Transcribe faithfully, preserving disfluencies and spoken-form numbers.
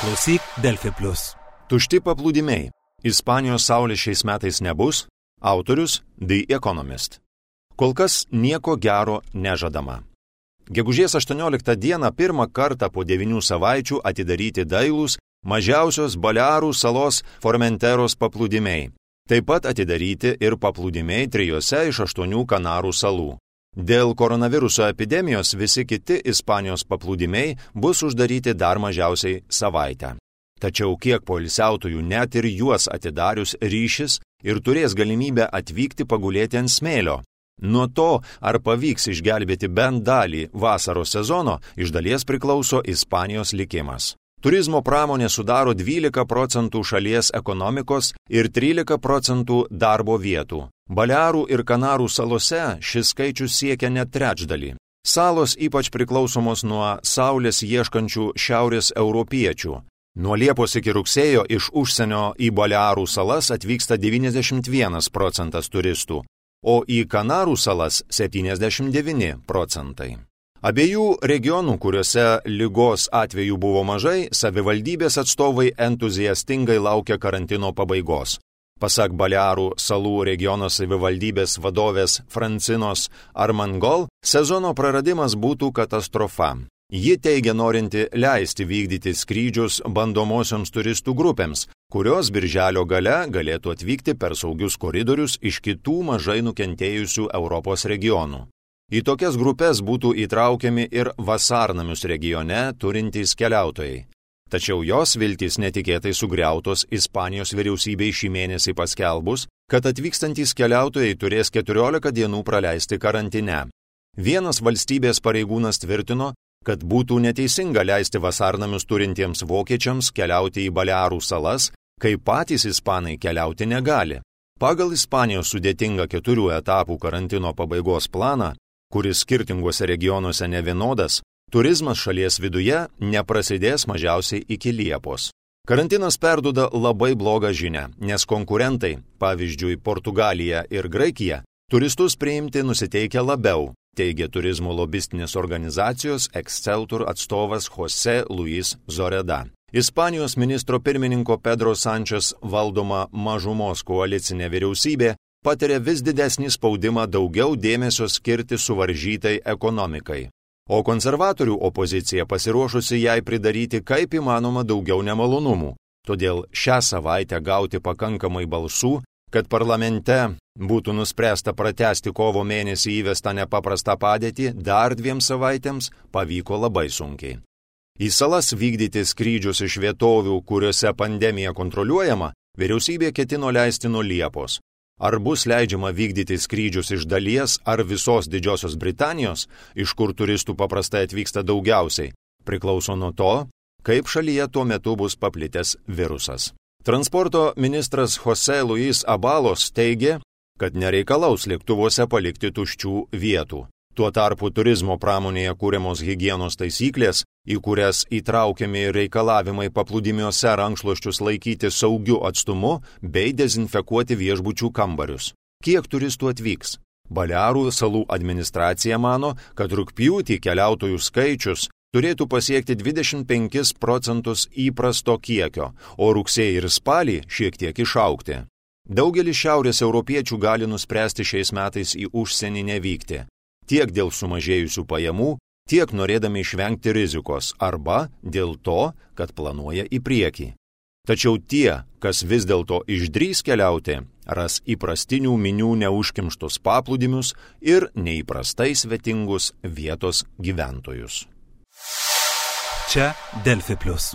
Klausyk Delfi Plus. Tušti paplūdimiai. Ispanijos saulės šiais metais nebus. Autorius The Economist. Kol kas nieko gero nežadama. Gegužės aštuonioliktą dieną pirmą kartą po devynių savaičių atidaryti dailūs mažiausios Balearų salos Formenteros paplūdimiai. Taip pat atidaryti ir paplūdimiai trijose iš aštuonių Kanarų salų. Dėl koronaviruso epidemijos visi kiti Ispanijos paplūdimiai bus uždaryti dar mažiausiai savaitę. Tačiau kiek poilsiautojų net ir juos atidarius ryšis ir turės galimybę atvykti pagulėti ant smėlio. Nuo to, ar pavyks išgelbėti bent dalį vasaros sezono, iš dalies priklauso Ispanijos likimas. Turizmo pramonė sudaro dvylika procentų šalies ekonomikos ir trylika procentų darbo vietų. Balearų ir Kanarų salose šis skaičius siekia net trečdalį. Salos ypač priklausomos nuo saulės ieškančių šiaurės europiečių. Nuo Liepos iki rugsėjo iš užsienio į Balearų salas atvyksta devyniasdešimt vienas procentas turistų, o į Kanarų salas septyniasdešimt devyni procentai. Abiejų regionų, kuriuose ligos atvejų buvo mažai, savivaldybės atstovai entuziastingai laukia karantino pabaigos. Pasak Balearų salų regiono savivaldybės vadovės Francinos Armengol, sezono praradimas būtų katastrofa. Ji teigia norinti leisti vykdyti skrydžius bandomosioms turistų grupėms, kurios birželio gale galėtų atvykti per saugius koridorius iš kitų mažai nukentėjusių Europos regionų. Į tokias grupės būtų įtraukiami ir vasarnamius regione turintys keliautojai. Tačiau jos viltys netikėtai sugriautos Ispanijos vyriausybei šį mėnesį paskelbus, kad atvykstantys keliautojai turės keturiolika dienų praleisti karantine. Vienas valstybės pareigūnas tvirtino, kad būtų neteisinga leisti vasarnamius turintiems vokiečiams keliauti į Balearų salas, kai patys ispanai keliauti negali. Pagal Ispanijos sudėtingą keturių etapų karantino pabaigos planą, kuris skirtinguose regionuose nevienodas, turizmas šalies viduje neprasidės mažiausiai iki Liepos. Karantinas perduoda labai blogą žinią, nes konkurentai, pavyzdžiui Portugalija ir Graikija, turistus priimti nusiteikia labiau, teigia turizmo lobistinės organizacijos Exceltur atstovas Jose Luis Zoreda. Ispanijos ministro pirmininko Pedro Sánchez valdoma mažumos koalicinė vyriausybė patiria vis didesnį spaudimą daugiau dėmesio skirti suvaržytai ekonomikai. O konservatorių opozicija pasiruošusi jai pridaryti kaip įmanoma daugiau nemalonumų. Todėl šią savaitę gauti pakankamai balsų, kad parlamente būtų nuspręsta pratęsti kovo mėnesį įvestą nepaprastą padėtį dar dviem savaitėms, pavyko labai sunkiai. Į salas vykdyti skrydžius iš vietovių, kuriuose pandemija kontroliuojama, vyriausybė ketino leisti nuo Liepos. Ar bus leidžiama vykdyti skrydžius iš dalies ar visos Didžiosios Britanijos, iš kur turistų paprastai atvyksta daugiausiai, priklauso nuo to, kaip šalyje tuo metu bus paplitęs virusas. Transporto ministras Jose Luis Abalos teigė, kad nereikalaus lėktuvuose palikti tuščių vietų. Tuo tarpu turizmo pramonėje kūriamos higienos taisyklės, į kurias įtraukiami reikalavimai paplūdimiuose rankšluosčius laikyti saugiu atstumu bei dezinfekuoti viešbučių kambarius. Kiek turistų atvyks? Balearų salų administracija mano, kad rugpjūtį keliautojų skaičius turėtų pasiekti dvidešimt penkis procentus įprasto kiekio, o rugsėjį ir spalį šiek tiek išaugti. Daugelis šiaurės europiečių gali nuspręsti šiais metais į užsienį nevykti. Tiek dėl sumažėjusių pajamų, tiek norėdami išvengti rizikos arba dėl to, kad planuoja į priekį. Tačiau tie, kas vis dėlto išdrįs keliauti, ras įprastinių minių neužkimštus paplūdimius ir neįprastai svetingus vietos gyventojus. Čia Delfi Plus.